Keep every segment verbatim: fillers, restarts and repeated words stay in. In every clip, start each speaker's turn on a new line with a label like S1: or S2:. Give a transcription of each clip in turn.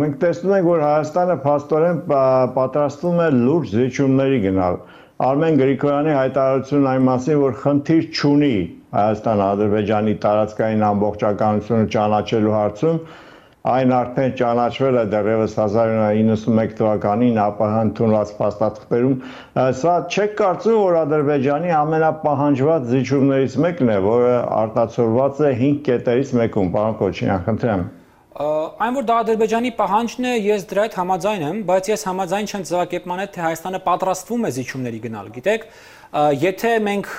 S1: Մենք տեսնում ենք, որ Հայաստանը փաստորեն պատրաստվում է լուրջ զիջումների գնալ։ Արմեն Գրիգորյանի հայտարարությունն այն մասին, որ խնդիր չունի Հայաստան-Ադրբեջանի տարածքային ամբողջականությունը ճանաչելու հարցում, այն արդեն ճանաչվել է դեռևս հազար նույնսուն իննսունմեկ թվականին ԱՊՀ ընդունված փաստաթղթերում։ Սա չեք կարծում, որ Ադրբեջանի ամենապահանջված զիջումներից մեկն է, որը արտացոլված է հինգ կետերից մեկում, պարոն Քոչարյան, խնդրեմ։
S2: Այն որ դա Ադրբեջանի պահանջն է, ես դրա հետ համաձայն եմ, բայց ես համաձայն չեմ ձևակերպման հետ, թե Հայաստանը պատրաստվում է զիջումների գնալ, գիտեք, եթե մենք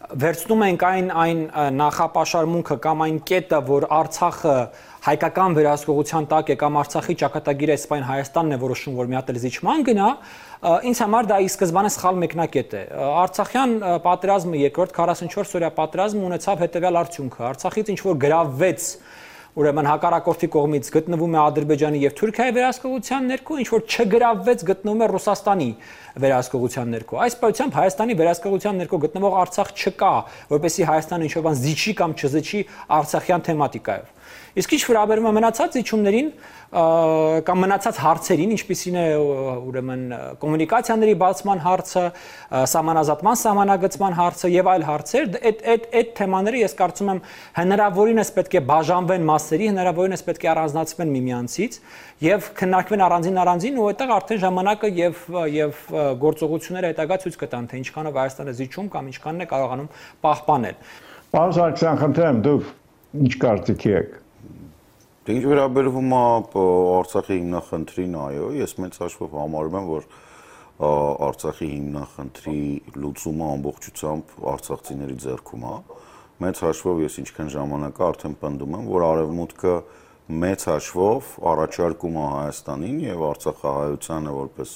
S2: վերցնում ենք այն այն նախապաշարմունքը կամ այն կետը, որ Արցախը հայկական վերահսկողության տակ է կամ Արցախի ճակատագիրը սպայն Հայաստանն է որոշում, որ մի հատ էլ զիջման գնա, ինձ համար դա ի սկզբանե սխալ մեկնակետ է։ Արցախյան պատերազմը, երկրորդ քառասունչորս օրյա պատերազմը ունեցավ հետևյալ արդյունքը։ Արցախից ինչ որ գրավվեց, ուրեմն հակառակորդի կողմից գտնվում է Ադրբեջանի եւ Թուրքիայի վերահսկողության ներքո, ինչ որ չգրավվեց գտնվում է Ռուսաստանի վերահսկողության ներքո։ Այս պայությամբ Հայաստանի վերահսկողության ներքո գտնվող Արցախ չկա, որպեսզի Հայաստանը ինչ-որ բան զիջի կամ չզիջի արցախյան թեմատիկայով։ Իսկ ինչ վերաբերում է մնացած զիջումներին կամ մնացած հարցերին, ինչպիսին է ուրեմն կոմունիկացիաների բացման հարցը, սահմանազատման սահմանագծման հարցը եւ այլ հարցեր, այդ այդ այդ թեմաները ես կարծում եմ հնարավորինս պետք է բաժանվեն մասերի, հնարավորինս պետք է առանձնացվեն միմյանցից եւ քննարկվեն առանձին առանձին ու այդտեղ արդեն ժամանակը եւ եւ գործողությունները հետագա ցույց կտան, թե ինչքանով Հայաստանը զիջում կամ ինչքանն է կարողանում պահպանել։
S1: Պարոն Սարգսյան, խնդրեմ, դուք ինչ կարծիքի եք։
S3: Ինչ վերաբերվում է Արցախի հիմնախնդրին, այո, ես մեծ հաշվով համարում եմ, որ Արցախի հիմնախնդրի լուծումը ամբողջությամբ արցախցիների ձեռքում է։ Մեծ հաշվով ես ինչքան ժամանակ արդեն պնդում եմ, որ Արևմուտքը մեծ հաշվով առաջարկում է Հայաստանին եւ Արցախահայությանը որպես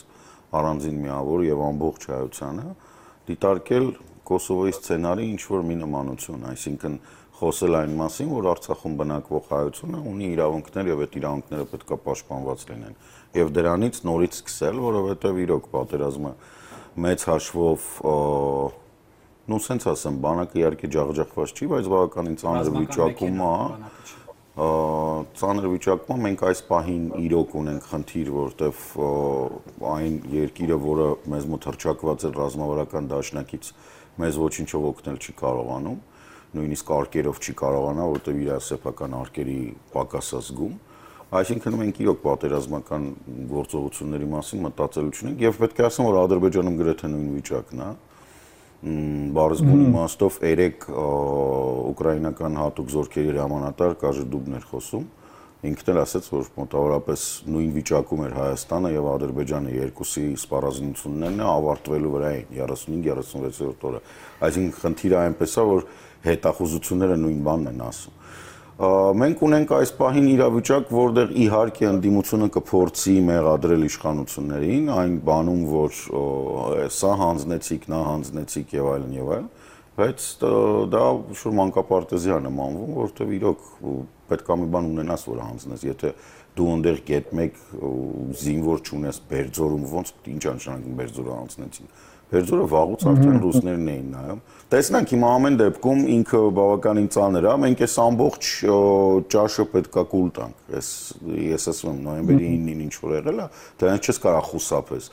S3: առանձին միավոր եւ ամբողջ հայությանը դիտարկել Կոսովոյի սցենարի ինչ որ մի նմանություն, այսինքն խոսել այն մասին, որ Արցախում բնակվող հայությունը ունի իրավունքներ եւ այդ իրավունքները պետք է պաշտպանված լինեն։ Եվ դրանից նորից սկսել, որովհետեւ իրոք պատերազմը մեծ հաշվով նո սենց ասեմ, բանակը իհարկե ջախջախված չի, բայց բավականին ծանր վիճակում է։ Ծանր վիճակում մենք այս պահին իրոք ունենք խնդիր, որտեվ այն երկիրը, որը մեզ մոտ հռչակված է ռազմավարական դաշնակից, մեզ ոչինչով օգնել չի կարողանում, նույնիսկ արկերով չի կարողանա, որտեվ իր սեփական արկերի պակաս է զգում։ Այսինքն մենք իրոք պատերազմական գործողությունների մասին մտածել չունենք եւ պետք է ասեմ, որ Ադրբեջանում գրեթե նույն վիճակն է։ Բարձր իմաստով երեք ուկրաինական հատուկ զորքերի հրամանատար Կաժեդուբն էր խոսում, ինքն էլ ասաց, որ մոտավորապես նույն վիճակում էր Հայաստանը եւ Ադրբեջանը երկուսի սպառազինություններն ավարտվելու վրա էին երեսունհինգ երեսունվեցերորդ օրը։ Այսինքն խնդիրը այնպես է, որ հետախուզությունները նույն բանն են ասում։ Մենք ունենք այս պահին իրավիճակ, որտեղ իհարկե ընդդիմությունը կփորձի մեղադրել իշխանություններին, այն բանում, որ սա հանձնեցիք, նա հանձնեցիք եւ այլն եւ այլն, բայց դա շուտ մանկապարտեզի է նմանվում, որտեղ իրոք պետք է մի բան ունենաս, որ հանձնես, եթե դու այնտեղ գետ մեկ զինվոր չունես Բերձորում, ոնց ինչ անշանակում Բերձորը հանձնեցին։ Բերձորը վաղուց արդեն ռուսներն էին նայում։ Տեսնանք հիմա ամեն դեպքում ինքը բավականին ծանր է, մենք այս ամբողջ ճաշը պետքա կուլ տանք։ Ես ես ասում եմ նոյեմբերի իննին ինչ որ եղել է, դրանից չես կարող խուսափես։